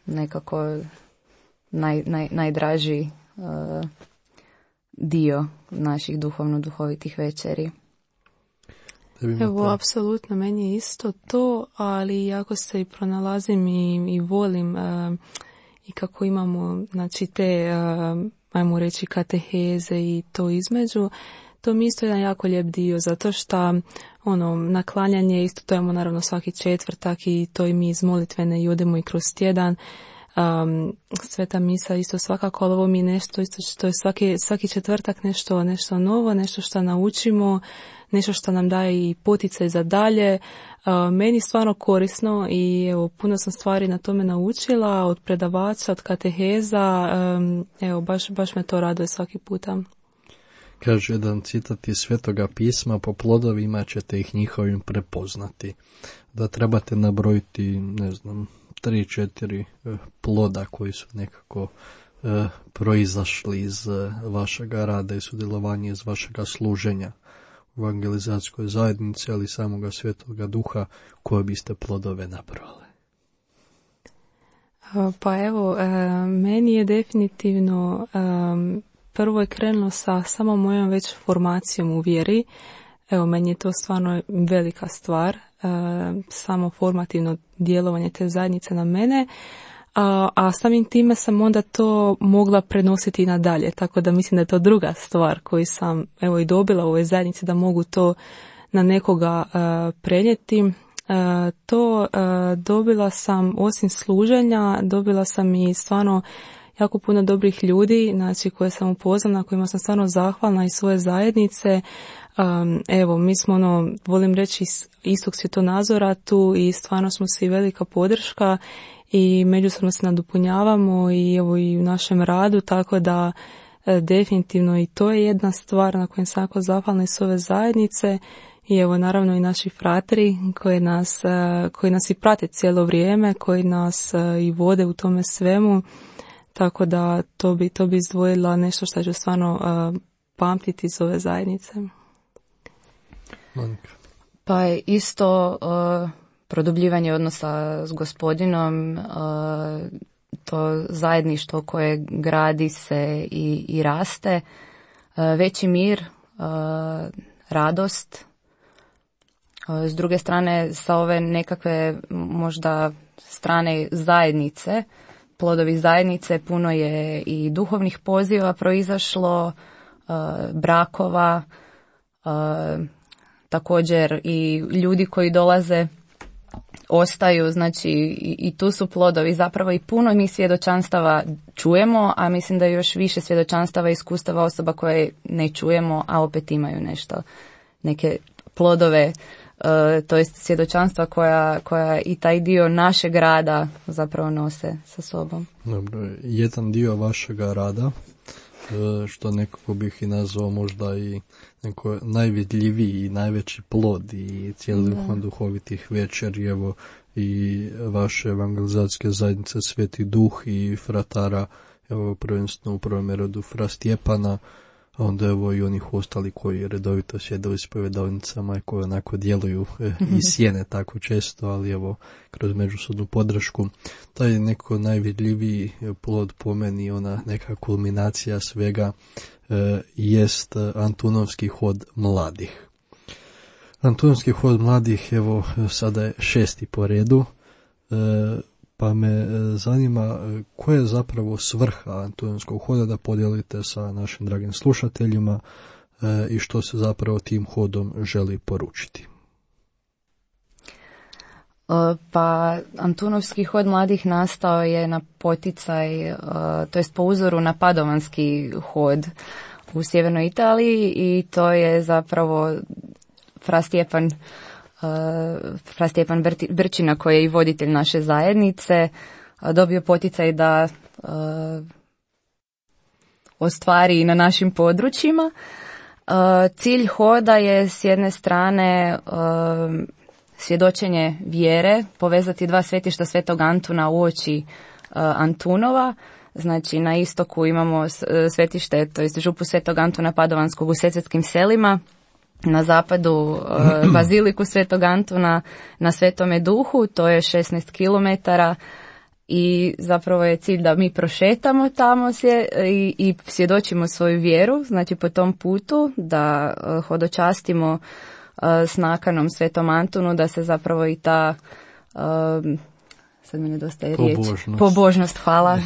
nekako najdraži dio naših duhovno-duhovitih večeri. Evo, apsolutno, meni je isto to, ali jako se i pronalazim i volim i kako imamo, znači, te, ajmo reći, kateheze i to između. To mi isto jedan jako lijep dio, zato što naklanjanje isto to imamo naravno svaki četvrtak i to i mi iz molitvene i odemo i kroz tjedan. Sveta misa isto svakako, ali ovo mi je nešto isto što je svaki četvrtak nešto novo, nešto što naučimo, nešto što nam daje i poticaj za dalje. Meni stvarno korisno i evo, puno sam stvari na tome naučila, od predavača, od kateheza, evo, baš me to raduje svaki puta. Kaže jedan citat iz Svetoga pisma: po plodovima ćete ih njihovim prepoznati. Da trebate nabrojiti, 3-4 ploda koji su nekako proizašli iz vašega rada i sudjelovanja, iz vašega služenja u evangelizacijskoj zajednici, ali samoga Svetoga Duha, koje biste plodove nabrojali? Pa evo, meni je definitivno prvo je krenulo sa samo mojom već formacijom u vjeri. Evo, meni je to stvarno velika stvar, samo formativno djelovanje te zajednice na mene, a samim time sam onda to mogla prenositi i nadalje, tako da mislim da je to druga stvar koju sam evo i dobila u ovoj zajednici, da mogu to na nekoga prenijeti. To dobila sam, osim služenja, dobila sam i stvarno jako puno dobrih ljudi, znači, koje sam upoznala, kojima sam stvarno zahvalna iz svoje zajednice. Evo, mi smo, volim reći, istog svjetonazora tu i stvarno smo svi velika podrška i međusobno se nadopunjavamo i evo i u našem radu, tako da definitivno i to je jedna stvar na kojoj sam jako zahvalna iz ove zajednice. I evo, naravno, i naši frateri koji nas i prate cijelo vrijeme, koji nas i vode u tome svemu. Tako da to bi izdvojila nešto što ću stvarno pamtiti iz ove zajednice. Monika. Pa isto produbljivanje odnosa s Gospodinom, to zajedništvo koje gradi se i raste, veći mir, radost. S druge strane, sa ove nekakve možda strane zajednice, plodovi zajednice, puno je i duhovnih poziva proizašlo, brakova, također i ljudi koji dolaze, ostaju, znači i tu su plodovi. Zapravo i puno mi svjedočanstava čujemo, a mislim da još više svjedočanstava i iskustava osoba koje ne čujemo, a opet imaju nešto, neke plodove, to jest svjedočanstva koja i taj dio našeg rada zapravo nose sa sobom. Dobro, jedan dio vašega rada, što nekako bih i nazvao možda i neko najvidljiviji i najveći plod i cijeli duhovitih večeri, evo, i vaše evangelizacijske zajednice Sveti Duh i fratara, evo prvenstveno u prvom redu fra Stjepana, a onda evo i onih ostali koji redovito sjede u ispovedalnicama i koji onako djeluju iz sjene tako često, ali evo kroz međusobnu podršku. Taj neko najvidljiviji plod po meni, ona neka kulminacija svega, jest Antunovski hod mladih. Antunovski hod mladih, evo sada je 6. po redu, pa me zanima koja je zapravo svrha Antunovskog hoda, da podijelite sa našim dragim slušateljima i što se zapravo tim hodom želi poručiti. Pa Antunovski hod mladih nastao je na poticaj, to jest po uzoru na Padovanski hod u sjevernoj Italiji, i to je zapravo fra Stjepan Brčina, koji je i voditelj naše zajednice, dobio poticaj da ostvari na našim područjima. Cilj hoda je s jedne strane svjedočenje vjere, povezati dva svetišta Svetog Antuna uoči Antunova. Znači na istoku imamo svetište, to jest župu Svetog Antuna Padovanskog u Sesvetskim selima, na zapadu baziliku Svetog Antuna na Svetome Duhu, to je 16 km, i zapravo je cilj da mi prošetamo tamo i svjedočimo svoju vjeru, znači po tom putu da hodočastimo s nakanom Svetom Antunu, da se zapravo i ta sad mi nedostaje riječ. Pobožnost, hvala.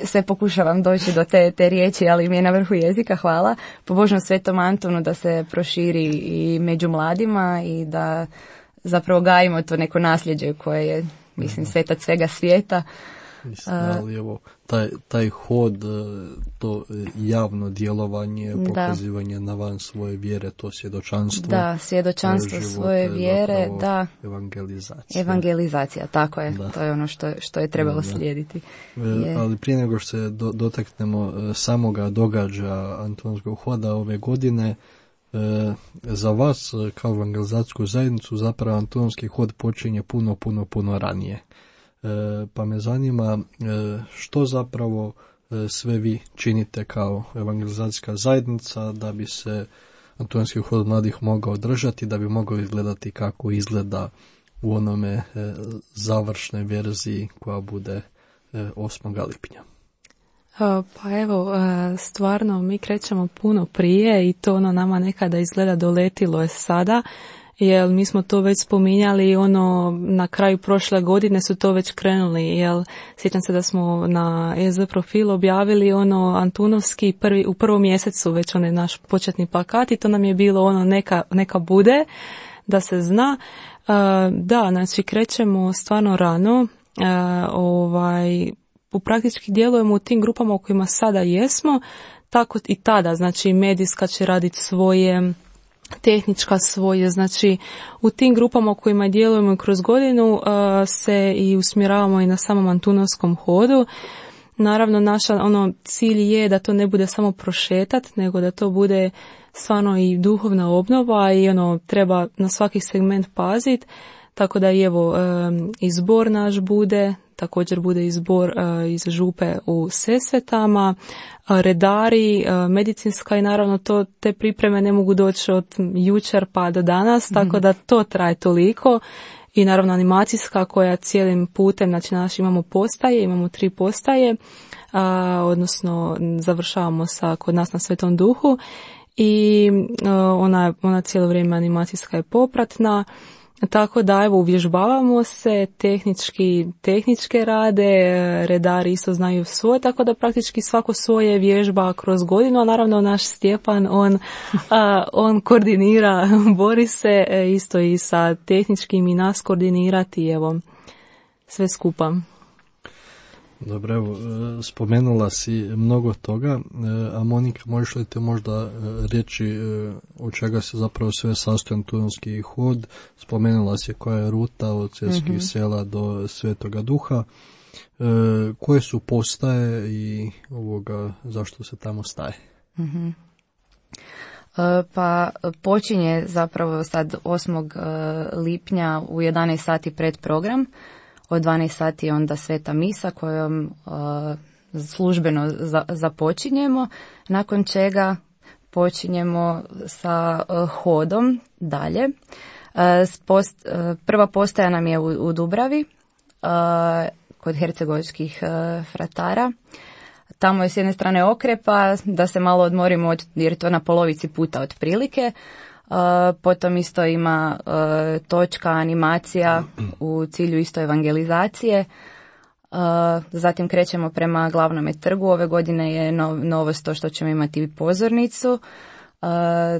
Sve pokušavam doći do te riječi, ali mi je na vrhu jezika, hvala. Pobožnost Svetom Antunu da se proširi i među mladima i da zapravo gajimo to neko nasljeđe koje je, mislim, svetac svega svijeta. Mislim, ali evo, taj hod, to javno djelovanje, pokazivanje na van svoje vjere, to svjedočanstvo. Da, svjedočanstvo svoje vjere, da. Evangelizacija, tako je. Da. To je ono što je trebalo slijediti. Ali prije nego što se dotaknemo samoga događaja Antunovskog hoda ove godine, za vas kao evangelizacijsku zajednicu zapravo Antunovski hod počinje puno ranije. Pa me zanima što zapravo sve vi činite kao evangelizacijska zajednica da bi se Antunovski hod mladih mogao održati, da bi mogao izgledati kako izgleda u onome završnoj verziji koja bude 8. lipnja. Pa evo, stvarno mi krećemo puno prije i to nama nekada izgleda doletilo je sada, jer mi smo to već spominjali, na kraju prošle godine su to već krenuli, jer sjećam se da smo na EZ profil objavili Antunovski u prvom mjesecu već naš početni plakat, i to nam je bilo neka bude, da se zna. Da, znači krećemo stvarno rano, praktički djelujemo u tim grupama u kojima sada jesmo, tako i tada, znači medijska će raditi svoje, tehnička svoje, znači u tim grupama u kojima djelujemo kroz godinu se i usmjeravamo i na samom Antunovskom hodu. Naravno, naša cilj je da to ne bude samo prošetat, nego da to bude stvarno i duhovna obnova i treba na svaki segment paziti, tako da i evo izbor naš bude, također bude izbor iz župe u Sesvetama, redari, medicinska, i naravno te pripreme ne mogu doći od jučer pa do danas, tako da to traje toliko, i naravno animacijska koja cijelim putem, znači imamo 3 postaje, odnosno završavamo kod nas na Svetom Duhu, i ona cijelo vrijeme animacijska je popratna. Tako da evo uvježbavamo se, tehničke rade, redari isto znaju svoje, tako da praktički svako svoje vježba kroz godinu, a naravno naš Stjepan, on koordinira, bori se isto i sa tehničkim i nas koordinirati, evo, sve skupa. Dobro, evo, spomenula si mnogo toga, a Monika, možeš li te možda reći od čega se zapravo sve sastoji Antunovski hod? Spomenula si koja je ruta od Sesvetskih sela do Svetoga Duha, koje su postaje i zašto se tamo staje? Pa počinje zapravo sad 8. lipnja u 11 sati predprogram. Od 12 sati je onda sveta misa kojom službeno započinjemo, nakon čega počinjemo sa hodom dalje. Prva postaja nam je u Dubravi, kod hercegovačkih fratara. Tamo je s jedne strane okrepa, da se malo odmorimo jer je to na polovici puta otprilike. Potom isto ima točka, animacija u cilju isto evangelizacije. Zatim krećemo prema glavnome trgu. Ove godine je novost to što ćemo imati pozornicu,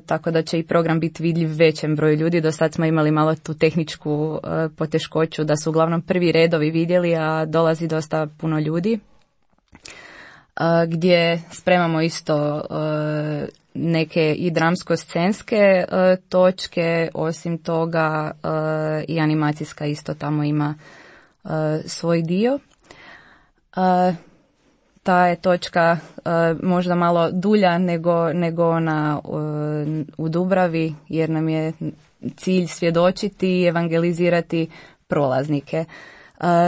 tako da će i program biti vidljiv većem broju ljudi. Do sad smo imali malo tu tehničku poteškoću da su uglavnom prvi redovi vidjeli, a dolazi dosta puno ljudi. Gdje spremamo isto neke i dramsko-scenske točke, osim toga i animacijska isto tamo ima svoj dio. Ta je točka možda malo dulja nego ona u Dubravi, jer nam je cilj svjedočiti i evangelizirati prolaznike.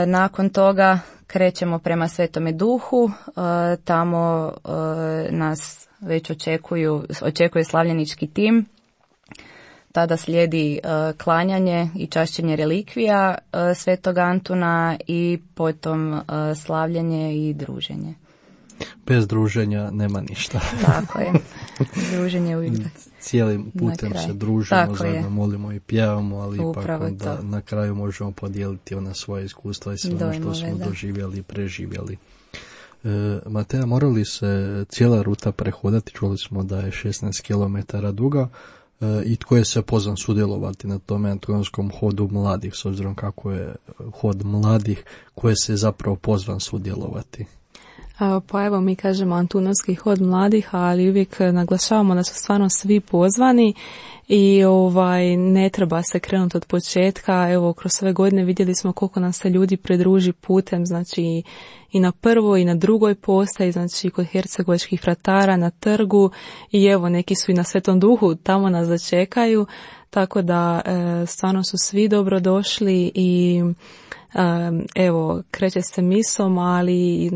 Nakon toga krećemo prema Svetome Duhu, tamo nas već očekuje slavljenički tim. Tada slijedi klanjanje i čašćenje relikvija Svetog Antuna i potom slavljenje i druženje. Bez druženja nema ništa. Tako je. Druženje uvijek. Cijelim putem se družimo, zajedno molimo i pjevamo, ali ipak onda na kraju možemo podijeliti ona svoje iskustva i sve ono što smo doživjeli i preživjeli. Mateja, morali se cijela ruta prehodati, čuli smo da je 16 km duga. I tko je se pozvan sudjelovati na tome antonskom hodu mladih, s obzirom kako je hod mladih, ko je se zapravo pozvan sudjelovati? Pa evo, mi kažemo Antunovski hod mladih, ali uvijek naglašavamo da su stvarno svi pozvani i ne treba se krenuti od početka. Evo, kroz sve godine vidjeli smo koliko nam se ljudi pridruži putem, znači i na prvoj i na drugoj postaji, znači kod hercegovačkih fratara na trgu, i evo neki su i na Svetom Duhu, tamo nas začekaju, tako da stvarno su svi dobrodošli i evo, kreće se misom, ali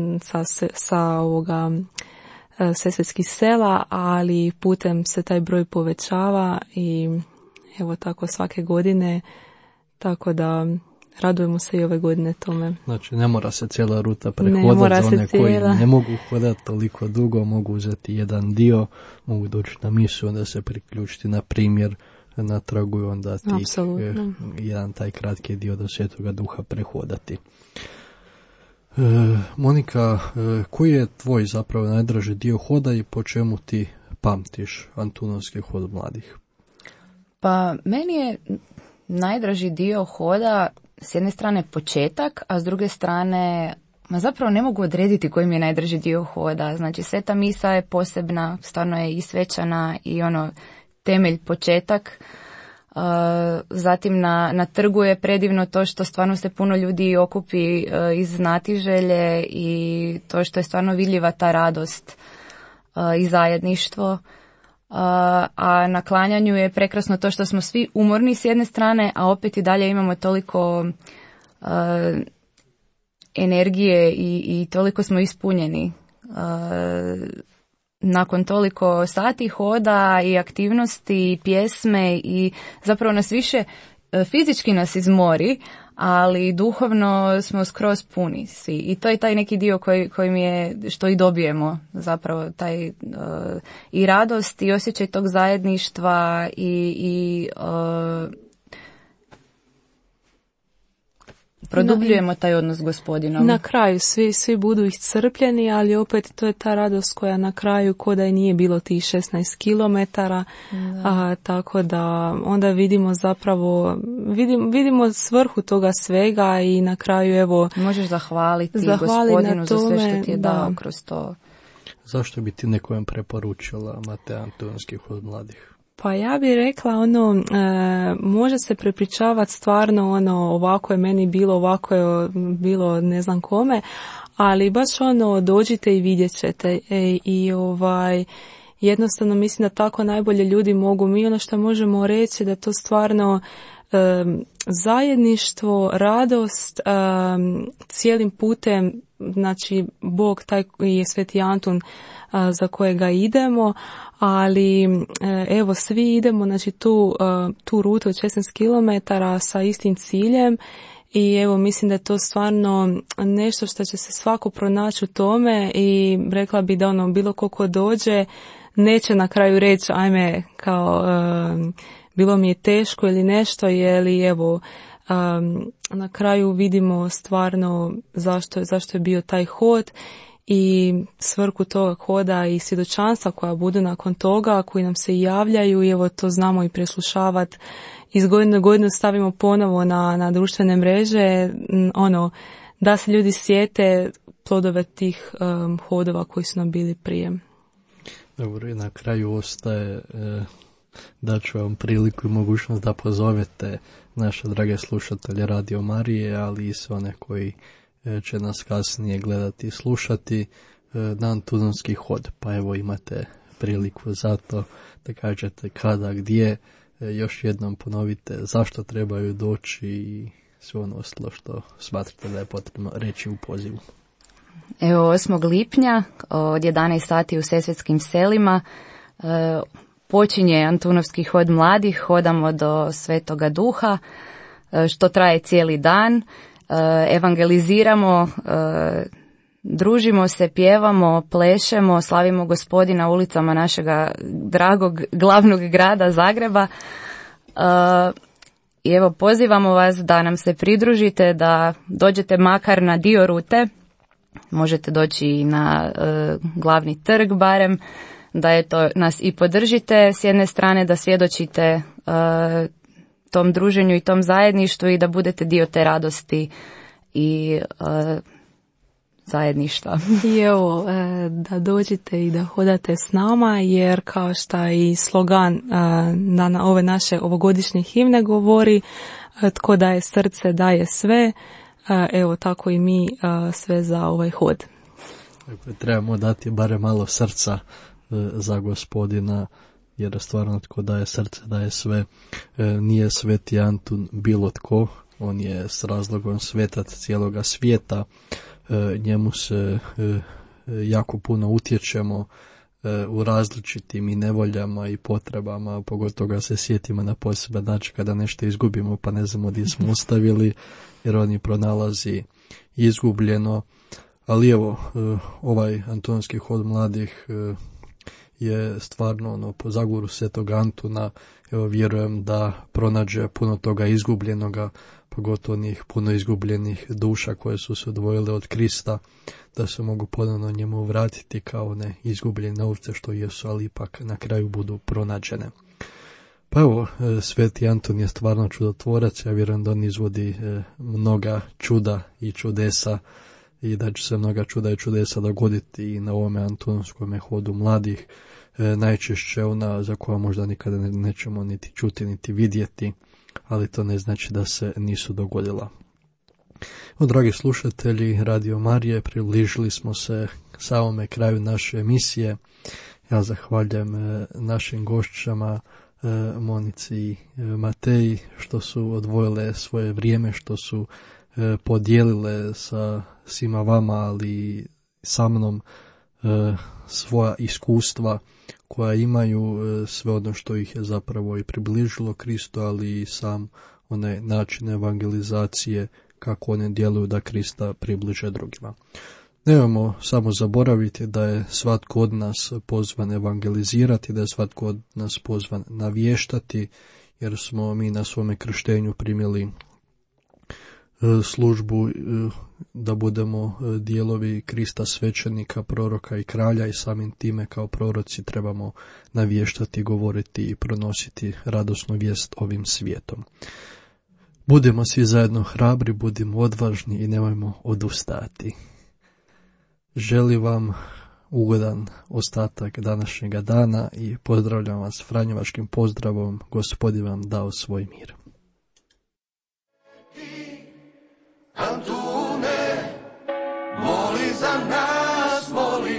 sa ovoga Sesvetskih sela, ali putem se taj broj povećava i evo tako svake godine, tako da radujemo se i ove godine tome. Znači ne mora se cijela ruta prehodati, za one koji ne mogu hodati toliko dugo, mogu uzeti jedan dio, mogu doći na misu, onda se priključiti na primjer na tragu i onda jedan taj kratki dio do Svetoga Duha prehodati. Monika, koji je tvoj zapravo najdraži dio hoda i po čemu ti pamtiš Antunovski hod mladih? Pa meni je najdraži dio hoda s jedne strane početak, a s druge strane zapravo ne mogu odrediti koji mi je najdraži dio hoda. Znači Sveta misa je posebna, stvarno je i svečana i temelj, početak. Zatim na trgu je predivno to što stvarno se puno ljudi okupi iz znatiželje i to što je stvarno vidljiva ta radost i zajedništvo. A na klanjanju je prekrasno to što smo svi umorni s jedne strane, a opet i dalje imamo toliko energije i toliko smo ispunjeni. Nakon toliko sati hoda i aktivnosti i pjesme i zapravo nas više fizički nas izmori, ali duhovno smo skroz puni svi. I to je taj neki dio koji mi je, što i dobijemo zapravo, taj i radost i osjećaj tog zajedništva i produbljujemo taj odnos s Gospodinom. Na kraju svi budu iscrpljeni, ali opet to je ta radost koja na kraju ko da i nije bilo tih 16 kilometara, tako da onda vidimo zapravo, vidimo svrhu toga svega i na kraju evo... Možeš zahvaliti Gospodinu za sve što ti je dao kroz to. Zašto bi ti nekojem preporučila Mateja Antunovski hod mladih? Pa ja bih rekla može se prepričavati stvarno ovako je meni bilo, ovako je bilo ne znam kome, ali baš dođite i vidjet ćete jednostavno mislim da tako najbolje ljudi mogu. Mi ono što možemo reći da to stvarno zajedništvo, radost, cijelim putem, znači Bog taj je Sveti Antun za kojega idemo, ali evo svi idemo znači tu rutu od 16 km sa istim ciljem i evo mislim da je to stvarno nešto što će se svako pronaći u tome i rekla bi da bilo ko dođe neće na kraju reći ajme kao bilo mi je teško ili nešto, jer evo na kraju vidimo stvarno zašto je bio taj hod i svrhu toga hoda i svjedočanstva koja budu nakon toga, koji nam se javljaju i evo to znamo i preslušavati. Iz godine u godinu stavimo ponovo na društvene mreže, da se ljudi sjete plodove tih hodova koji su nam bili prije. Dobro, i na kraju ostaje da ću vam priliku i mogućnost da pozovete naše drage slušatelje Radio Marije, ali i sve one koji će nas kasnije gledati i slušati na Antunonski hod. Pa evo imate priliku za to da kažete kada, gdje, još jednom ponovite zašto trebaju doći i sve ono ostalo što smatrate da je potrebno reći u pozivu. Evo 8. lipnja od 11 sati u Sesvetskim selima počinje Antunovski hod mladih, hodamo do Svetoga Duha, što traje cijeli dan, evangeliziramo, družimo se, pjevamo, plešemo, slavimo Gospodina ulicama našega dragog glavnog grada Zagreba. I evo pozivamo vas da nam se pridružite, da dođete makar na dio rute, možete doći i na glavni trg barem, da nas i podržite s jedne strane, da svjedočite tom druženju i tom zajedništvu i da budete dio te radosti i zajedništva. I evo, da dođete i da hodate s nama, jer kao što i slogan na ove naše ovogodišnje himne govori, tko daje srce, daje sve, evo tako i mi sve za ovaj hod. Trebamo dati barem malo srca za Gospodina, jer stvarno tko daje srce, daje sve. Nije Sveti Antun bilo tko, on je s razlogom svetac cijeloga svijeta, njemu se jako puno utječemo u različitim i nevoljama i potrebama, pogotovo ga se sjetimo na poseban način kada nešto izgubimo pa ne znamo gdje smo ostavili, jer on je pronalazi izgubljeno. Ali evo, ovaj Antonski hod mladih je stvarno po zagovoru Svetog Antuna, evo vjerujem da pronađe puno toga izgubljenoga, pogotovo onih puno izgubljenih duša koje su se odvojile od Krista, da se mogu ponovno njemu vratiti kao ne izgubljene ovce što jesu, ali ipak na kraju budu pronađene. Pa evo, Sveti Anton je stvarno čudotvorac, ja vjerujem da on izvodi mnoga čuda i čudesa i da će se mnoga čuda i čudesa dogoditi i na ovome Antonskom hodu mladih, najčešće ona za koja možda nikada nećemo niti čuti niti vidjeti, ali to ne znači da se nisu dogodila. Dragi slušatelji Radio Marije, približili smo se samome kraju naše emisije. Ja zahvaljujem našim gošćama Monici i Mateji što su odvojile svoje vrijeme, što su podijelile sa svima vama, ali sa mnom svoja iskustva koja imaju, sve ono što ih je zapravo i približilo Kristu, ali i sam onaj način evangelizacije kako one djeluju da Krista približe drugima. Nemojmo samo zaboraviti da je svatko od nas pozvan evangelizirati, da je svatko od nas pozvan navještati, jer smo mi na svome krštenju primili službu da budemo dijelovi Krista svećenika, proroka i kralja i samim time kao proroci trebamo navještati, govoriti i pronositi radosnu vijest ovim svijetom. Budemo svi zajedno hrabri, budimo odvažni i nemojmo odustati. Želim vam ugodan ostatak današnjega dana i pozdravljam vas franjevačkim pozdravom. Gospodin vam dao svoj mir. Antune, moli za nas,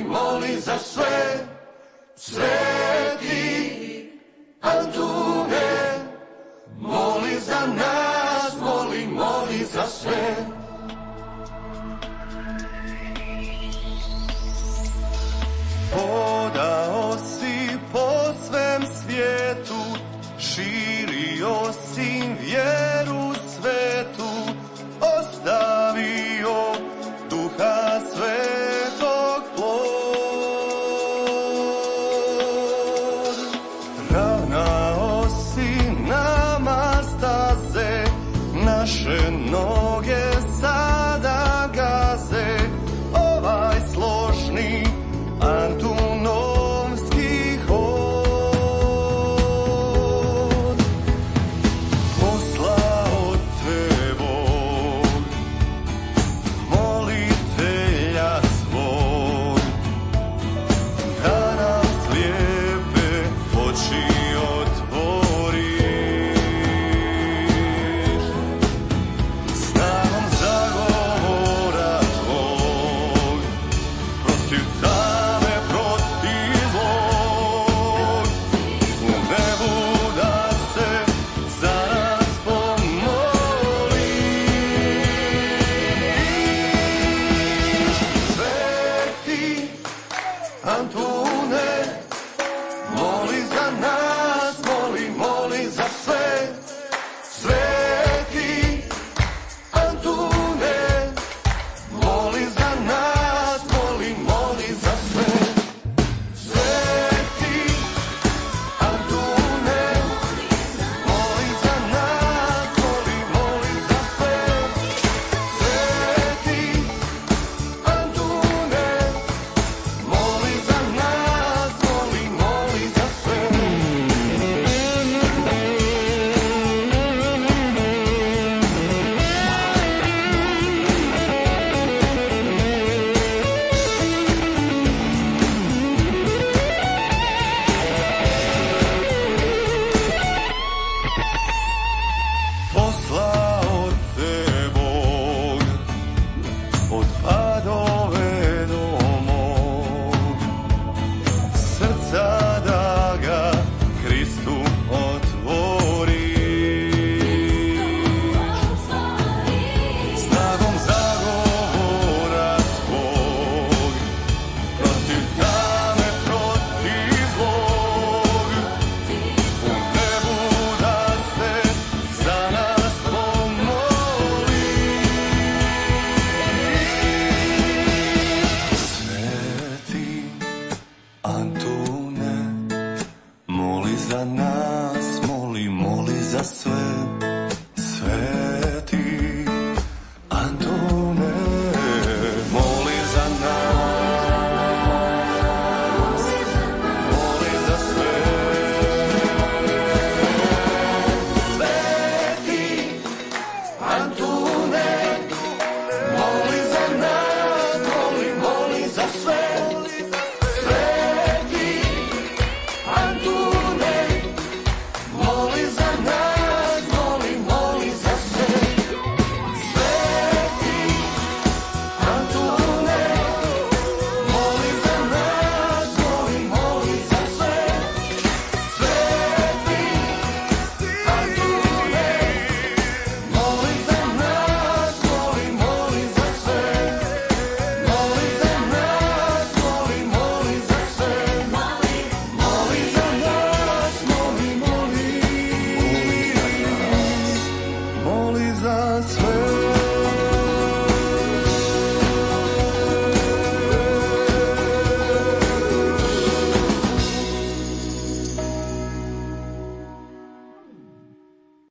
moli za sve, sve. moli za nas, moli za sve. Sveti Antune, moli za nas, moli za sve. Sveti Antune, moli za nas, moli za sve. Sveti Antune, moli za nas, moli za sve. Poslao te Bog od A do V do mog srca da ga Kristu otvoriš. Snagom zagovora tvog protiv tame, protiv zlog, u nebu da se za nas pomoli. Sveti Antune, moli za nas, moli za sve.